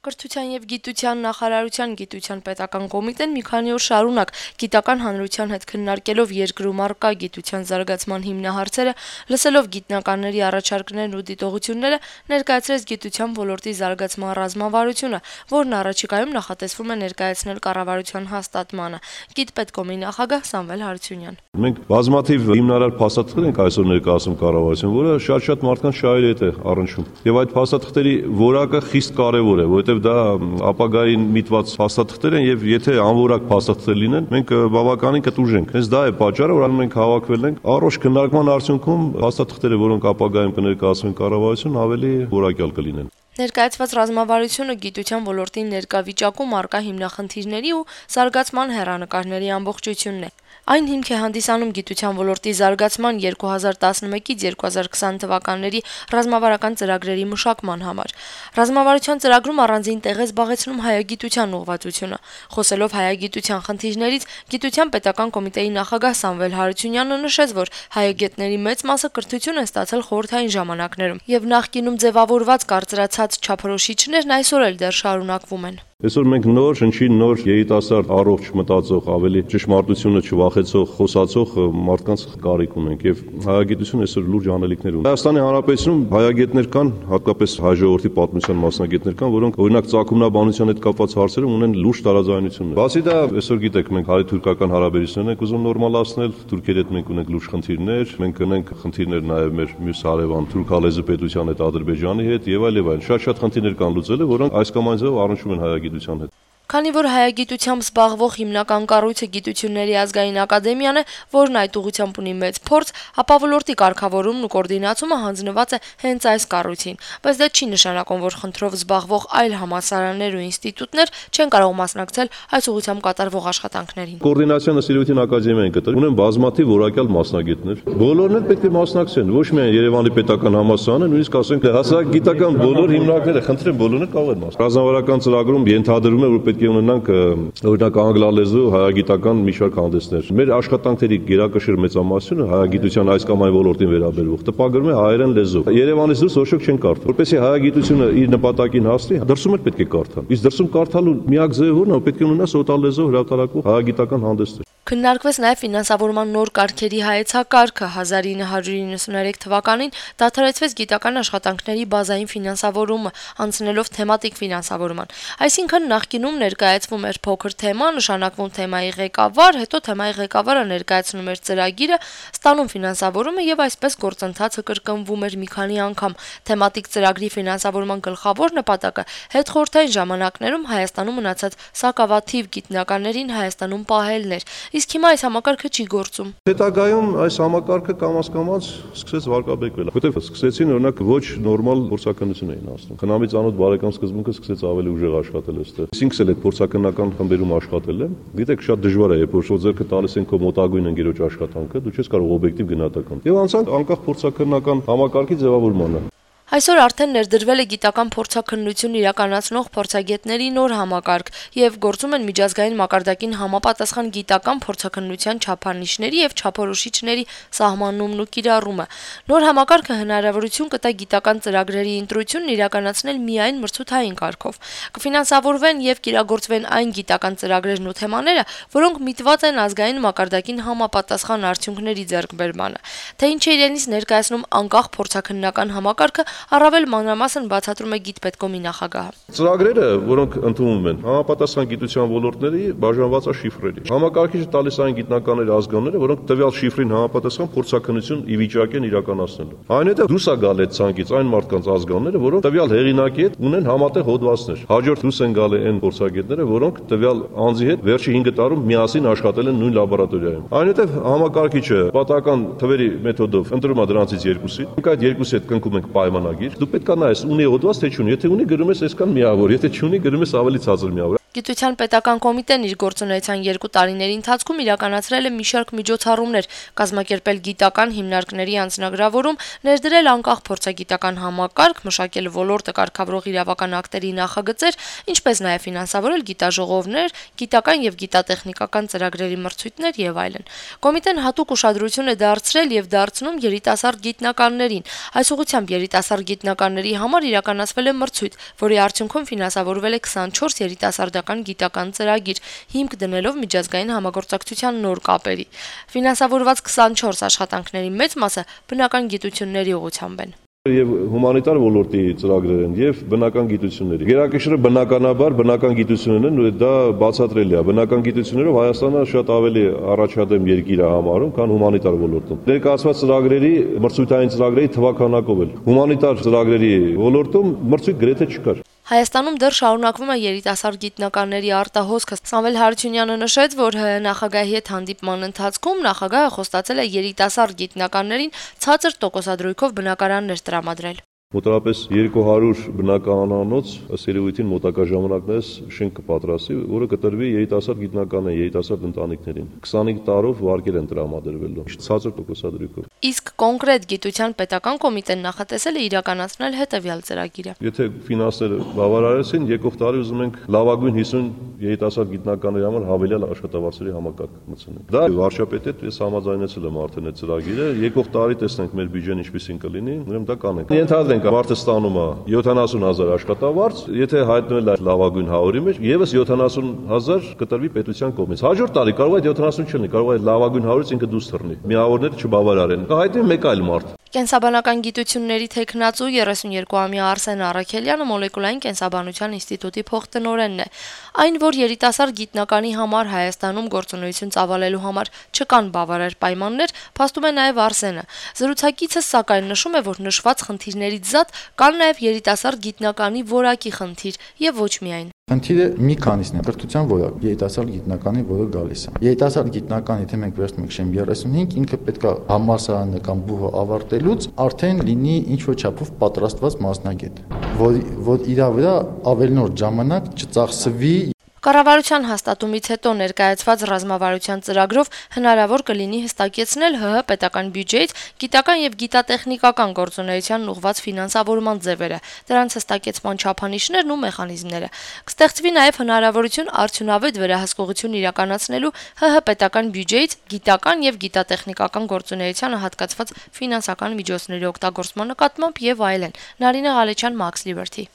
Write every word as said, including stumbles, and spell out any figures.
Կրթության եւ գիտության նախարարության գիտության պետական կոմիտեն մի քանի օր շարունակ գիտական հանրության հետ քննարկելով երկրում առկա գիտության զարգացման հիմնահարցերը, լսելով գիտնականների առաջարկներն ու դիտողությունները, ներկայացրեց գիտության ոլորտի զարգացման ռազմավարությունը, որն առաջիկայում նախատեսվում է ներկայացնել կառավարության հաստատմանը։ Գիտպետկոմի նախագահ Սամվել Հարությունյան. Մենք բազմաթիվ հիմնարար փաստաթղթեր ենք այսօր ներկայացնում կառավարության, որը շատ-շատ մարդկանց շահերի հետ է առնչվում։ Եվ այդ փաստաթղթերի որակը խիստ կարևոր է, որովհետև դա ապագային միտված փաստաթղթեր են եւ եթե անորակ փաստաթղթեր լինեն, մենք բավականին կտուժենք։ Հենց դա է պատճառը, որ մենք հավաքվել ենք առողջ քննարկման արդյունքում փաստաթղթերը, որոնք ապագայում կներկայացվեն կառավարություն, ավելի որակյալ կլինեն։ Ներկայացված ռազմավարությունը գիտության ոլորտի ներկա վիճակում առկա հիմնախնդիրների ու զարգացման հեռանկարների ամբողջությունն է։ Այն հիմք է հանդիսանում գիտության ոլորտի զարգացման երկու հազար տասնմեկից երկու հազար քսան թվականների ռազմավարական ծրագրերի մշակման համար։ Ռազմավարության ծրագրում առանձին տեղ է զբաղեցնում հայագիտության ուղղվածությունը։ Խոսելով հայագիտության խնդիրներից, գիտության պետական կոմիտեի նախագահ Սամվել Հարությունյանը նշեց, որ հայագետների մեծ մասը կրթություն են ստացել խորհրդային ժամանակներում, եւ նախկինում ձևավորված կարծրացած չափորոշիչներն այսօր էլ դեռ շարունակվում են։ Այսօր մենք նոր, շնչին նոր երիտասարդ, առողջ մտածող, ավելի ճշմարտությունը չվախեցող, խոսացող մարդկանց կարիք ունենք եւ հայագիտությունը այսօր լուրջ անելիքներ ունի։ Հայաստանի Հանրապետությունում հայագետներ կան, հատկապես հայ ժողովրդի պատմության մասնագետներ կան, որոնք օրինակ ծագումնաբանության հետ կապված հարցերում ունեն լուրջ տարաձայնություններ։ Բացի դա, այսօր գիտեք, մենք հայ-թուրքական հարաբերություններ ենք ուզում նորմալացնել, Թուրքերի հետ մենք ունենք լուրջ խնդիրներ, մենք ունենք խնդիրներ նաեւ մեր մյուս հարևան թուրքալեզու պետության հետ, Ադրբեջանի հետ եւ այլ եւ այլ։ Շատ-շատ խնդիրներ կան լուծելու, որոնք այս կամ այն ձեւով առնչվում են հայագիտության հետ։ Քանի որ հայագիտությամբ զբաղվող հիմնական կառույցը Գիտությունների ազգային ակադեմիան է, որն այդ ուղղությամբ ունի մեծ փորձ, ապա ոլորտի կարգավորումն ու կոորդինացումը հանձնված է հենց այս կառույցին, բայց դա չի նշանակում, որ խնդրով զբաղվող այլ համալսարաններ ու ինստիտուտներ չեն կարող մասնակցել այս ուղղությամբ կատարվող աշխատանքներին։ Կոորդինացիան Սիրույթին ակադեմիային կտրել ունեն բազմաթիվ որակյալ մասնագետներ։ Բոլորն էլ պետք է մասնակցեն, ոչ միայն Երևանի պետական համալսարանը, նույնիսկ ասենք հասարակագիտական բոլոր հիմնարկները, խնդրեմ բոլորն էլ կարող են մասնակցել։ Ռազմավարական ծրագրում ենթադրում է, որ պետք է ունենանք օրինակ անգլալեզու հայագիտական մի շարք հանդեսներ։ Մեր աշխատանքների գերակշիռ մեծամասնությունը հայագիտության այս կամ այն ոլորտին վերաբերող տպագրում է հայերեն լեզվով։ Երևանից դուրս ոչ ոք չեն կարդում։ Որպեսզի հայագիտությունը իր նպատակին հասնի, դրսում էլ պետք է կարդան։ Իսկ դրսում կարդալու միակ ձևը որն է, պետք է ունենա սոտալ լեզվով հրատարակվող հայագիտական հանդեսներ։ Քննարկվեց նաև ֆինանսավորման նոր կարգերի հայեցակարգը հազար ինը հարյուր իննսուններեք թվականին դադարեցվեց գիտական աշխատանքների բազային ֆինանսավորումը, անցնելով թեմատիկ ֆինանսավորման։ Այսինքն նախկինում ներկայացվում էր փոքր թեմա, նշանակվում թեմայի ղեկավար, հետո թեմայի ղեկավարը ներկայացնում էր ծրագիրը, ստանում ֆինանսավորումը եւ այսպես գործընթացը կրկնվում էր մի քանի անգամ։ Թեմատիկ ծրագրի ֆինանսավորման գլխավոր նպատակը հետխորհրդային ժամանակներում Հայաստանում մնացած սակավաթիվ գիտնականներին Հայաստանում պահելն էր։ Իսկ հիմա այս համակարգը չի գործում։ Հետագայում այս համակարգը կամաց-կամաց սկսեց վարկաբեկվել, որտեղ սկսեցին օրինակ ոչ նորմալ փորձականություն էին ասում։ Խնամի ծանոթ բարեկամ սկզբունքը սկսեց ավելի ուժեղ աշխատել այստեղ։ Ինքս էլ այդ փորձականական խմբերում աշխատել եմ։ Գիտեք, շատ դժվար է, երբ որ ձեռքը տալիս են քո մոտագույն ընկերոջ աշխատանքը, դու չես կարող օբյեկտիվ գնահատական։ Եվ անցանք անկախ փորձականական համակարգի ձևավորմանը։ Այսօր արդեն ներդրվել է գիտական փորձաքննություն իրականացնող փորձագետների նոր համակարգ եւ գործում են միջազգային մակարդակին համապատասխան գիտական փորձաքննության չափանիշների եւ չափորոշիչների սահմանումն ու կիրառումը։ Նոր համակարգը հնարավորություն կտա գիտական ծրագրերի ընտրությունն իրականացնել միայն մրցութային կարգով։ Կֆինանսավորվեն եւ կիրագործվեն այն գիտական ծրագրերն ու թեմաները, որոնք միտված են ազգային մակարդակին համապատասխան արդյունքների ձեռքբերմանը։ Թե ինչ է իրենից ներկայացնում անկախ փորձաքննական համակարգը առավել մանրամասն բացատրում է Գիտպետկոմի նախագահը։ Ծրագրերը, որոնք ընդունվում են, համապատասխան գիտության ոլորտների բաժանված է շիֆրերի։ Համակարգիչը տալիս այն գիտնականների ազգանները, որոնք տվյալ շիֆրին համապատասխան փորձաքննություն ի վիճակի են իրականացնելու։ Այնուհետև դուրս է գալ այդ ցանկից այն մարդկանց ազգանները, որոնք տվյալ հեղինակի հետ ունեն համատեղ հոդվածներ։ Հաջորդ դուրս են գալի այն փորձագետները, որոնք տվյալ անձի հետ վերջի հինգ տարում միասին աշխատել են նույն լաբորատորիայում։ Այնուհետև համակարգիչը պատահական թվերի մեթոդով ընտրում է դրանցից երկուսին։ Մենք այդ երկուսի հետ կնքում ենք պայմանագիր։ Դու պետք է նայես ունի հոդված թե չունի, եթե ունի գրում ես այսքան միավոր, եթե չունի գրում ես ավելի ցածր միավոր։ Գիտության պետական կոմիտեն իր գործունեության երկու տարիների ընթացքում իրականացրել է մի շարք միջոցառումներ, կազմակերպել գիտական հիմնարկների անձնագրավորում, ներդրել անկախ փորձագիտական համակարգ, մշակել ոլորտը կարգավորող իրավական ակտերի նախագծեր, ինչպես նաև ֆինանսավորել գիտաժողովներ, գիտական եւ գիտատեխնիկական ծրագրերի մրցույթներ եւ այլն։ Կոմիտեն հատուկ ուշադրություն է դարձրել եւ դարձնում երիտասարդ գիտնականներին։ Այս ուղղությամբ երիտասարդ գիտնականների համար իրականացվել է մրցույթ, որի արդյունքում ֆինանսավորվել է քսանչորս երիտասարդ գիտական ծրագիր, հիմք դնելով միջազգային համագործակցության նոր կապերի։ Ֆինանսավորված քսանչորս աշխատանքների մեծ մասը բնական գիտությունների ուղղությամբ են։ Եվ հումանիտար ոլորտի ծրագրեր են եւ բնական գիտությունների։ Գերակշռը բնականաբար բնական գիտություններն են, ու դա բացատրելի է։ Բնական գիտություններով Հայաստանը շատ ավելի առաջադեմ երկիր է համարում, քան հումանիտար ոլորտում։ Ներկայացված ծրագրերի մրցույթային ծրագրերի թվականակով էլ հումանիտար ծրագրերի ոլորտում մրցույթ գրեթե չկար։ Հայաստանում դեռ շարունակվում է երիտասարդ գիտնականների արտահոսքը։ Սամվել Հարությունյանը նշեց, որ ՀՀ նախագահի հետ հանդիպման ընթացքում նախագահը խոստացել է երիտասարդ գիտնականներին ցածր տոկոսադրույքով բնակարաններ տրամադրել։ Մոտավորապես երկու հարյուր բնականանոց ըստ երևույթին մոտակա ժամանակներս շենք կպատրաստի, որը կտրվի երիտասարդ գիտնականներին, երիտասարդ ընտանիքներին։ քսանհինգ տարով վարկեր են տրամադրվելու, ցածր տոկոսադրույքով։ Իսկ կոնկրետ գիտության պետական կոմիտեն նախատեսել է իրականացնել հետևյալ ծրագիրը։ Եթե ֆինանսները բավարարեցին, եկող տարի ուզում ենք լավագույն հիսուն երիտասարդ գիտնականների համար հավելյալ աշխատավարձերի համակարգ մտցնել։ Դա վարչապետի հետ ես համաձայնեցել եմ արդեն այդ ծրագիրը։ Եկող տարի տեսնենք մեր բյուջեն ինչպեսին կլինի, ուրեմն դա կանենք։ Ենթադրենք մարդը ստանում է յոթանասուն հազար աշխատավարձ, եթե հայտնվել է լավագույն հարյուրի մեջ, եւս յոթանասուն հազար կտրվի պետության կողմից։ Հաջորդ տարի կարող է յոթանասուն չլինի, կարող է լավագույն հարյուրից ինքը դուրս թռնի։ Միավորները չբավարարեն։ Կհայտնի մեկ այլ մարդ։ Կենսաբանական գիտությունների թեկնածու երեսունյոթամյա Արսեն Առաքելյանը մոլեկուլային կենսաբանության ինստիտուտի փոխտնօրենն է։ Այն, որ երիտասարդ գիտնականի համար Հայաստանում գործունեություն ծավալելու համար չկան բավարար պայմաններ, փաստում է նաև Արսենը։ Զրուցակիցը սակայն նշում է, որ նշված խնդիրներից զատ կան նաև երիտասարդ գիտնականի որակի խնդիր եւ ոչ միայն։ Խնդիրը մի քանիսն է, կրթության որակ, երիտասարդ գիտնականի, որը գալիս է։ Երիտասարդ գիտնական, եթե մենք վերցնում ենք շեմ երեսունհինգ, ինքը պետք է համալսարանը կամ բուհը ավարտելուց արդեն լինի ինչ-որ չափով պատրաստված մասնագետ, որ որ իր վրա ավելի նոր ժամանակ չծախսվի։ Կառավարության հաստատումից հետո ներկայացված ռազմավարության ծրագրով հնարավոր կլինի հստակեցնել ՀՀ պետական բյուջեից գիտական եւ գիտատեխնիկական գործունեության ուղղված ֆինանսավորման ձևերը, դրանց հստակեցման չափանիշներն ու մեխանիզմները։ Կստեղծվի նաեւ հնարավորություն արդյունավետ վերահսկողություն իրականացնելու ՀՀ պետական բյուջեից գիտական եւ գիտատեխնիկական գործունեությանը հատկացված ֆինանսական միջոցների օգտագործման նկատմամբ եւ այլն։ Նարինե Ղալեչյան, Max Liberty։